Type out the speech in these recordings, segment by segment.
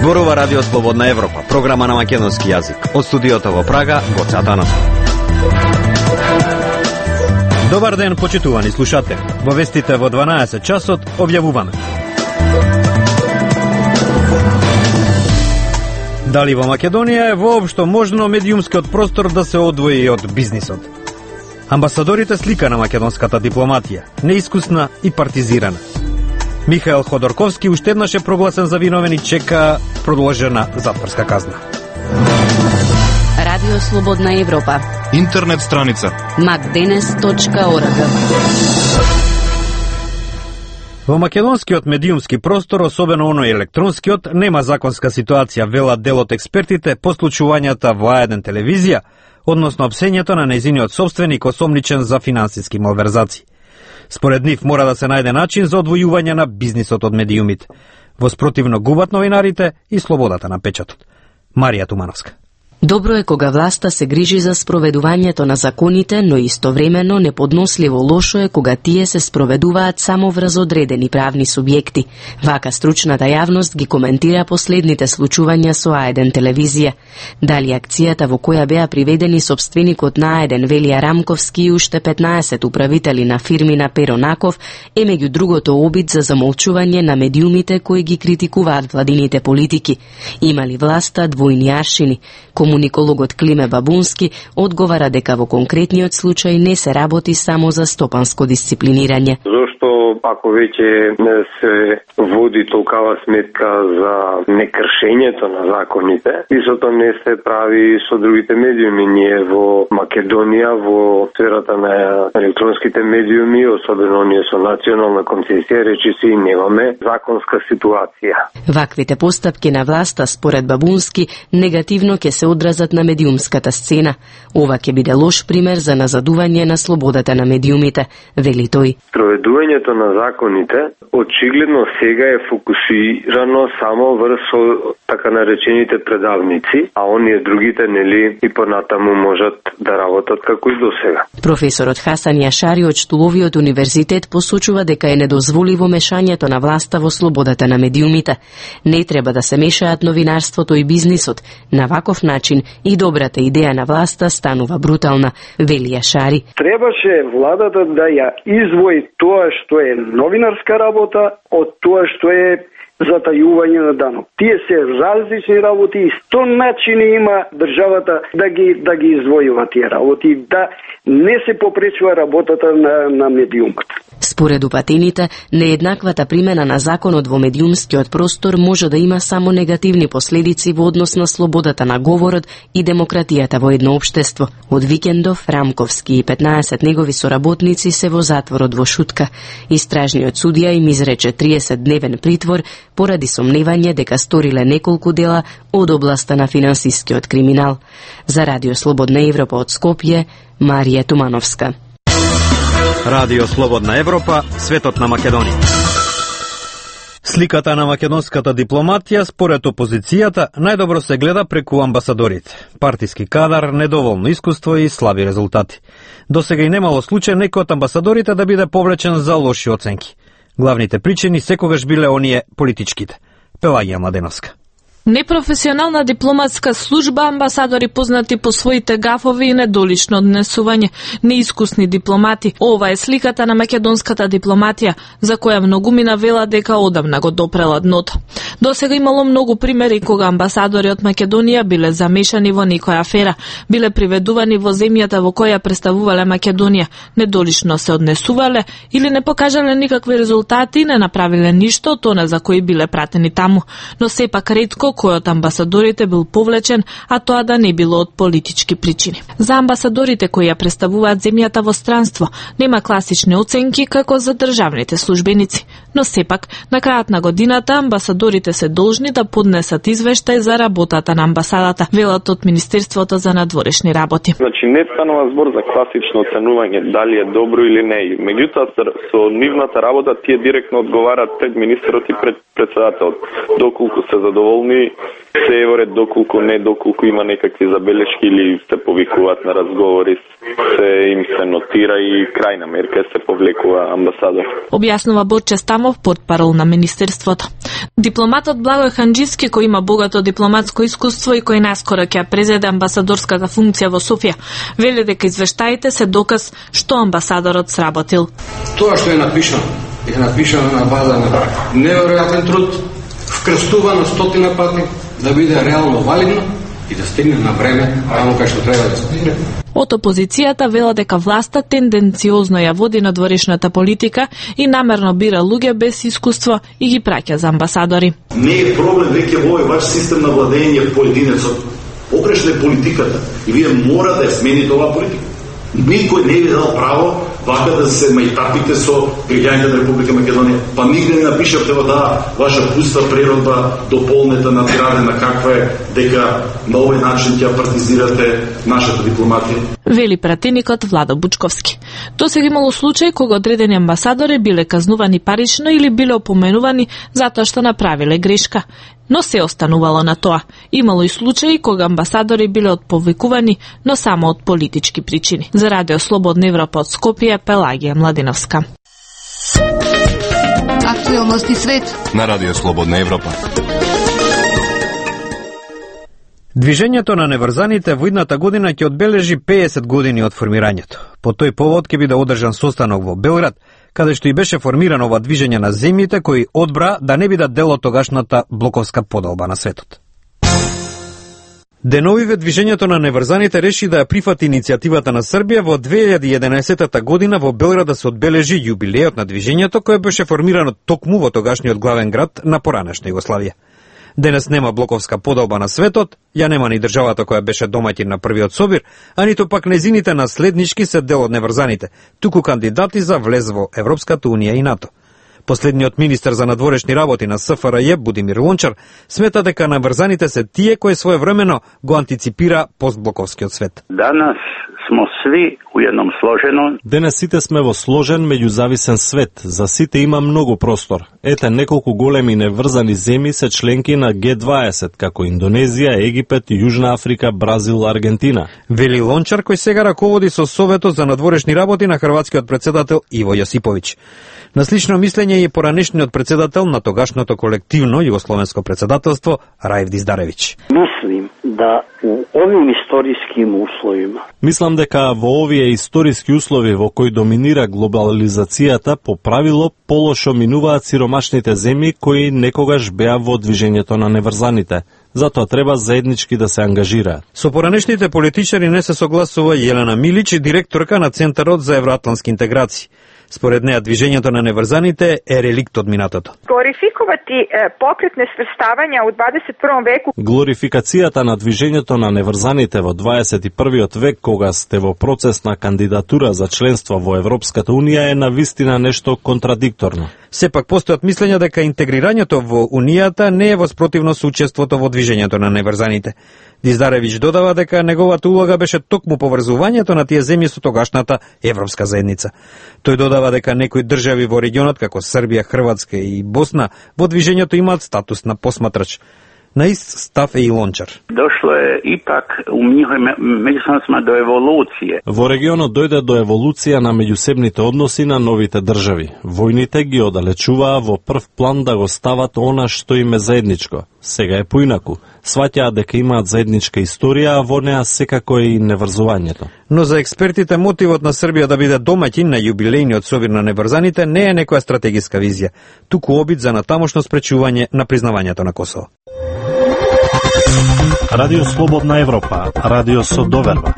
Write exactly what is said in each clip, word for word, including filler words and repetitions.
Зборува Радио Слободна Европа, програма на македонски јазик. Од студиото во Прага, Гоце Атанасов. Добар ден, почитувани слушатели. Во вестите во дванаесет часот објавуваме. Дали во Македонија е воопшто можно медиумскиот простор да се одвои од бизнисот? Амбасадорите слика на македонската дипломатија, неискусна и партизирана. Михаел Ходорковски уште еднаш е прогласен за виновен и чека продолжена затворска казна. Радио Слободна Европа. Интернет страница макденес точка орг. Во македонскиот медиумски простор, особено оној електронскиот, нема законска ситуација, велат дел од експертите по случувањата во А еден телевизија, односно опсењето на нејзиниот собственик осомничен за финансиски малверзации. Според нив мора да се најде начин за одвојување на бизнисот од медиумите. Во спротивно губат новинарите и слободата на печатот. Марија Тумановска. Добро е кога власта се грижи за спроведувањето на законите, но истовремено неподносливо лошо е кога тие се спроведуваат само врз одредени правни субјекти. Вака стручната јавност ги коментира последните случувања со А еден телевизија. Дали акцијата во која беа приведени собственикот на А еден Велија Рамковски и уште петнаесет управители на фирми на Перо Наков е меѓу другото обид за замолчување на медиумите кои ги критикуваат владините политики. Има ли власта двојни аршини? Комуникологот Климе Бабунски одговара дека во конкретниот случај не се работи само за стопанско дисциплинирање. Зошто ако веќе не се води толкава сметка за некршењето на законите, истото не се прави со другите медиуми. Ние во Македонија, во сферата на електронските медиуми, особено ние со национална концесија, речиси немаме законска ситуација. Ваквите постапки на власта, според Бабунски, негативно ќе се одразат на медиумската сцена. Ова ќе биде лош пример за назадување на слободата на медиумите, вели тој. Проведувањето на законите очигледно сега е фокусирано само врз така наречените предавници, а оние другите нели и понатаму можат да работат како и досега. Професорот Хасан Јашари од Штуловиот универзитет посочува дека е недозволиво мешањето на власта во слободата на медиумите. Не треба да се мешаат новинарството и бизнисот. На ваков начин и добрата идеја на власта станува брутална, вели Јашари. Требаше владата да ја извои тоа што е новинарска работа од тоа што е затајување на данок. Тие се различни работи и сто начини има државата да ги да ги извојува тие работи, да не се попречува работата на на медиумот. Според упатените, нееднаквата примена на законот во медиумскиот простор може да има само негативни последици во однос на слободата на говорот и демократијата во едно општество. Од викендов Рамковски и петнаесет негови соработници се во затворот во Шутка. Истражниот судија им изрече триесет дневен притвор поради сомневање дека сториле неколку дела од областа на финансискиот криминал. За Радио Слободна Европа од Скопје, Марија Тумановска. Радио Слободна Европа, светот на Македонија. Сликата на македонската дипломатија според опозицијата најдобро се гледа преку амбасадорите. Партиски кадар, недоволно искуство и слаби резултати. Досега и немало случај некој од амбасадорите да биде повлечен за лоши оценки. Главните причини секогаш биле оние политичките. Пелагија Младеновска. Непрофесионална дипломатска служба, амбасадори познати по своите гафови и недолично однесување, неискусни дипломати. Ова е сликата на македонската дипломатија, за која многумина вела дека одамна го допрела дното. Досега имало многу примери кога амбасадори од Македонија биле замешани во некоја афера, биле приведувани во земјата во која представувале Македонија, недолично се однесувале или не покажале никакви резултати и не направиле ништо од она за кои биле пратени таму, но сепак ретко кој од амбасадорите бил повлечен, а тоа да не било од политички причини. За амбасадорите кои ја представуваат земјата во странство, нема класични оценки како за државните службеници, но сепак на крајот на годината амбасадорите се должни да поднесат извештај за работата на амбасадата, велат од Министерството за надворешни работи. Значи не станува збор за класично оценување дали е добро или не. Меѓутоа со нивната работа тие директно одговараат пред министерот и пред председателот. Доколку се задоволни случаи се е во ред доколку не, доколку има некакви забелешки или се повикуваат на разговори, се им се нотира и крајна мерка се повлекува амбасадор. Објаснува Борче Стамов, портпарол на Министерството. Дипломатот Благој Ханџиски, кој има богато дипломатско искуство и кој наскоро ќе презеде амбасадорската функција во Софија, вели дека извештаите се доказ што амбасадорот сработил. Тоа што е напишано, е напишано на база на неверојатен труд, вкрстувано стотина пати, да биде реално валидно и да стигне на време таму кај што треба да стигне. Од опозицијата вела дека власта тенденциозно ја води надворешната политика и намерно бира луѓе без искуство и ги праќа за амбасадори. Не е проблем веќе во овој ваш систем на владење поединецот. Погрешна е политиката и вие мора да ја смените оваа политика. Никој не ви дал право вака да се мајтапите со граѓаните на Република Македонија. Па нигде не напишавте во таа ваша пуста природба дополнета надградена каква е, дека на овој начин ќе партизирате нашата дипломатија. Вели пратеникот Владо Бучковски. До сега имало случај кога одредени амбасадори биле казнувани парично или биле опоменувани затоа што направиле грешка. Но се останувало на тоа. Имало и случаи кога амбасадори биле отповикувани, но само од политички причини. За Радио Слободна Европа од Скопје, Пелагија Младиновска. Актуелности свет на Радио Слободна Европа. Движењето на неврзаните во идната година ќе одбележи пеесет години од формирањето. По тој повод ќе биде одржан состанок во Белград, каде што и беше формирано ова движење на земјите кои одбра да не бидат дел од тогашната блоковска поделба на светот. Деновиве движењето на неврзаните реши да ја прифати иницијативата на Србија во две илјади и единаесета година во Белград да се одбележи јубилејот на движењето кое беше формирано токму во тогашниот главен град на поранешна Југославија. Денес нема блоковска поделба на светот, ја нема ни државата која беше домаќин на првиот собир, а ниту пак незините наследнички се дел од неврзаните, туку кандидати за влез во Европската унија и НАТО. Последниот министер за надворешни работи на СФРЈ, Будимир Лончар, смета дека наврзаните се тие кои своевремено го антиципира постблоковскиот свет. Данас смо сви у едном сложено. Денес сите сме во сложен меѓузависен свет, за сите има многу простор. Ете неколку големи неврзани земји се членки на Г дваесет, како Индонезија, Египет, Јужна Африка, Бразил, Аргентина. Вели Лончар, кој сега раководи со Советот за надворешни работи на хрватскиот председател Иво Јосиповиќ. На слично мислење е и поранешниот председател на тогашното колективно југословенско председателство Раев Диздаревиќ. Мислим да у овим историским условима. Мислам дека во овие историски услови во кои доминира глобализацијата, по правило полошо минуваат сиромашните земји кои некогаш беа во движењето на неврзаните. Затоа треба заеднички да се ангажираат. Со поранешните политичари не се согласува Јелена Милиќ, директорка на Центарот за евроатлански интеграции. Според неа, движењето на неврзаните е реликт од минатото. Глорификувати е, покрет несврставања у дваесет и првом веку. Глорификацијата на движењето на неврзаните во дваесет и првиот век, кога сте во процес на кандидатура за членство во Европската унија, е навистина нешто контрадикторно. Сепак постојат мислења дека интегрирањето во унијата не е во спротивно со учеството во движењето на неврзаните. Диздаревиќ додава дека неговата улога беше токму поврзувањето на тие земји со тогашната европска заедница. Тој додава дека некои држави во регионот, како Србија, Хрватска и Босна, во движењето имаат статус на посматрач. На ист став е и Лончар. Дошло е ипак у нивој меѓусебно до еволуција. Во регионот дојде до еволуција на меѓусебните односи на новите држави. Војните ги оддалечуваа во прв план да го стават она што им е заедничко. Сега е поинаку. Сваќаат дека имаат заедничка историја, а во неа секако е и неврзувањето. Но за експертите мотивот на Србија да биде домаќин на јубилејниот собир на неврзаните не е некоја стратегиска визија, туку обид за натамошно спречување на признавањето на Косово. Радио Слободна Европа, радио со доверба.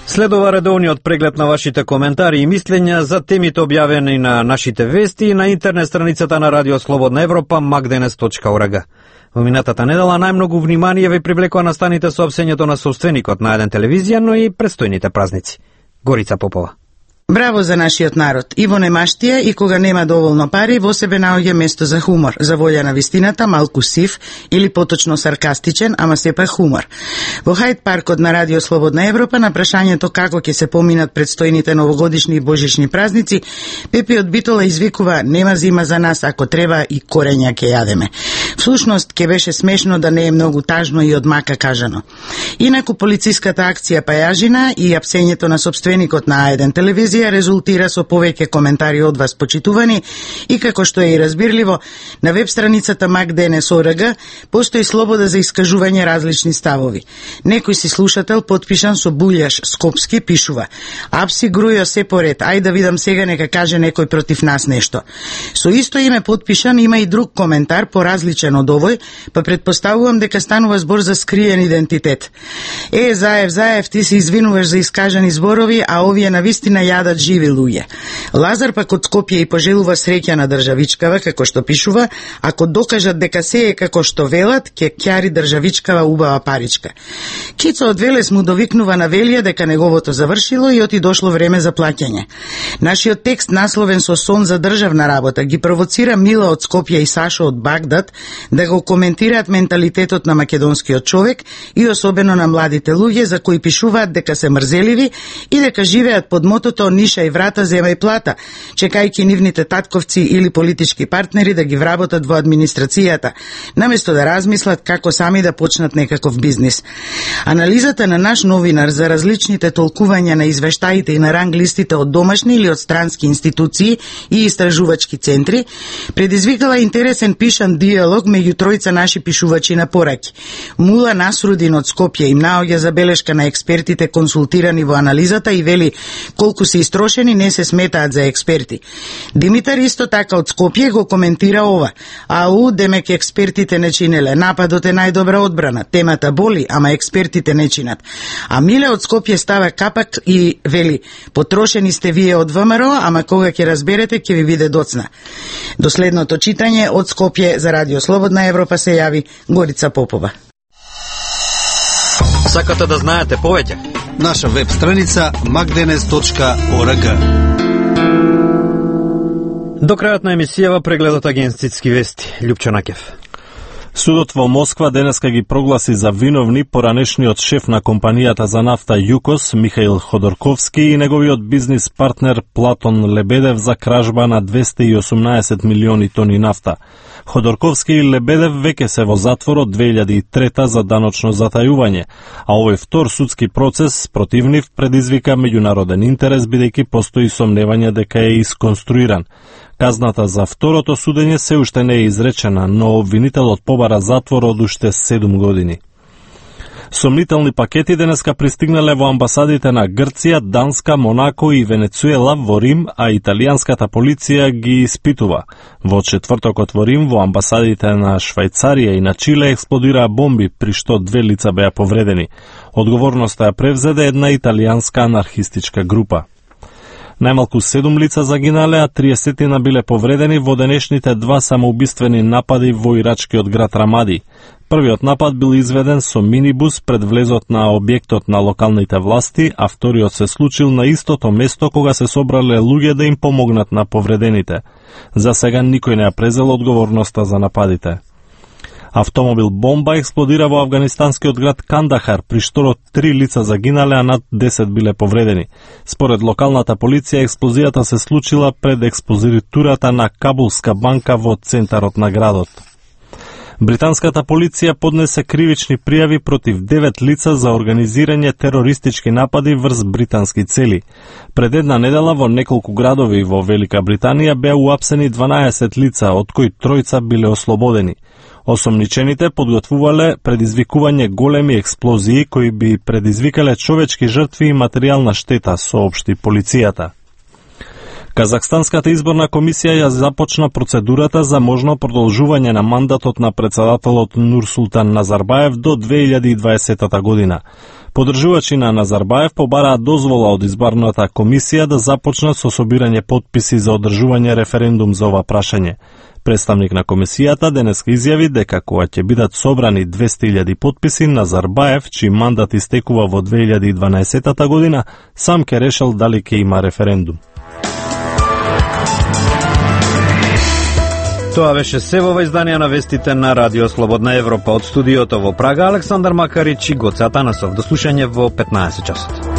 Следува редовниот преглед на вашите коментари и мислења за темите објавени на нашите вести и на интернет страницата на Радио Слободна Европа макденес точка орг. Во минатата недела најмногу внимание ви привлекува настаните соопсењето на собственикот на еден телевизија, но и престојните празници. Горица Попова. Браво за нашиот народ. И во немаштија и кога нема доволно пари, во себе наоѓа место за хумор, за волја на вистината, малку сив или поточно саркастичен, ама сепак хумор. Во Хајд паркот на Радио Слободна Европа на прашањето како ќе се поминат предстојните новогодишни и божични празници, Пепи од Битола извикува: нема зима за нас, ако треба и корења ќе јадеме. Всушност, ке беше смешно да не е многу тажно и од мака кажано. Инаку полициската акција Пајажина и апсењето на сопственикот на А еден телевизија резултира со повеќе коментари од вас почитувани и како што е и разбирливо, на веб страницата MacDNS точка org постои слобода за искажување различни ставови. Некој си слушател подпишан со Булјаш Скопски пишува: "Апси грујо се поред, ај да видам сега нека каже некој против нас нешто." Со исто име подпишан има и друг коментар поразличен од овој, па предпоставувам дека станува збор за скриен идентитет. "Е, Заев, Заев, ти се извинуваш за искажани зборови, а овие навистина јадат живи луѓе." Лазар пак од Скопје и пожелува среќа на државичкава, како што пишува: "Ако докажат дека се е како што велат, ќе ќари државичкава убава паричка." Кица од Велес му довикнува на Велија дека неговото завршило и оти дошло време за плаќање. Нашиот текст, насловен со сон за државна работа, ги провоцира Мила од Скопје и Сашо од Багдад да го коментираат менталитетот на македонскиот човек и особено на младите луѓе за кои пишуваат дека се мрзеливи и дека живеат под мотото "Ниша и врата, земај плата", чекајќи нивните татковци или политички партнери да ги вработат во администрацијата, наместо да размислат како сами да почнат некаков бизнис. Анализата на наш новинар за различните толкувања на извештаите и на ранглистите од домашни или од странски институции и истражувачки центри предизвикала интересен пишан диалог меѓу тројца наши пишувачи на пораки. Мула Насрудин од Скопје им наоѓа забелешка на експертите консултирани во анализата и вели колку се истрошени не се сметаат за експерти. Димитар исто така од Скопје го коментира ова: "Ау, демек експертите не чинеле, нападот е најдобра одбрана, темата боли, ама експертите не чинат." А Миле од Скопје става капак и вели: "Потрошени сте вие од ВМРО, ама кога ќе разберете ќе ви биде доцна." До следното читање од Скопје за Радио Слободна Европа се јави Горица Попова. Сакате да знаете повеќе? Наша веб страница macdenes точка org. До крајот на емисијава прегледот агенцитски вести. Љупчо Накев. Судот во Москва денеска ги прогласи за виновни поранешниот шеф на компанијата за нафта ЮКОС Михаил Ходорковски и неговиот бизнис партнер Платон Лебедев за кражба на двесте и осумнаесет милиони тони нафта. Ходорковски и Лебедев веќе се во затвор од две илјади и трета за даночно затајување, а овој втор судски процес против нив предизвика меѓународен интерес бидејќи постои сомневање дека е исконструиран. Казната за второто судење се уште не е изречена, но обвинителот побара затвор од уште седум години. Сомнителни пакети денеска пристигнале во амбасадите на Грција, Данска, Монако и Венецуела во Рим, а италијанската полиција ги испитува. Во четвртокот во Рим, во амбасадите на Швајцарија и на Чиле експлодираа бомби, при што две лица беа повредени. Одговорноста ја превзеде една италијанска анархистичка група. Најмалку седум лица загинале, а триесет биле повредени во денешните два самоубиствени напади во ирачкиот град Рамади. Првиот напад бил изведен со минибус пред влезот на објектот на локалните власти, а вториот се случил на истото место кога се собрале луѓе да им помогнат на повредените. За сега никој не ја презел одговорноста за нападите. Автомобил бомба експлодира во афганистанскиот град Кандахар, при што три лица загинале, а над десет биле повредени. Според локалната полиција, експлозијата се случила пред експозитурата на Кабулска банка во центарот на градот. Британската полиција поднесе кривични пријави против девет лица за организирање терористички напади врз британски цели. Пред една недела во неколку градови во Велика Британија беа уапсени дванаесет лица, од кои тројца биле ослободени. Осомничените подготвувале предизвикување големи експлозии кои би предизвикале човечки жртви и материјална штета, соопшти полицијата. Казахстанската изборна комисија ја започна процедурата за можно продолжување на мандатот на председателот Нурсултан Назарбаев до две илјади и дваесета година. Подржувачи на Назарбаев побараат дозвола од изборната комисија да започнат со собирање потписи за одржување референдум за ова прашање. Представник на комисијата денеска изјави дека кога ќе бидат собрани двесте илјади потписи, Назарбаев, чиј мандат истекува во две илјади и дванаесета година, сам ќе решил дали ќе има референдум. Тоа беше се во изданија на вестите на Радио Слободна Европа. Од студиото во Прага Александар Макарич и Гоце Атанасов. До слушање во петнаесет часот.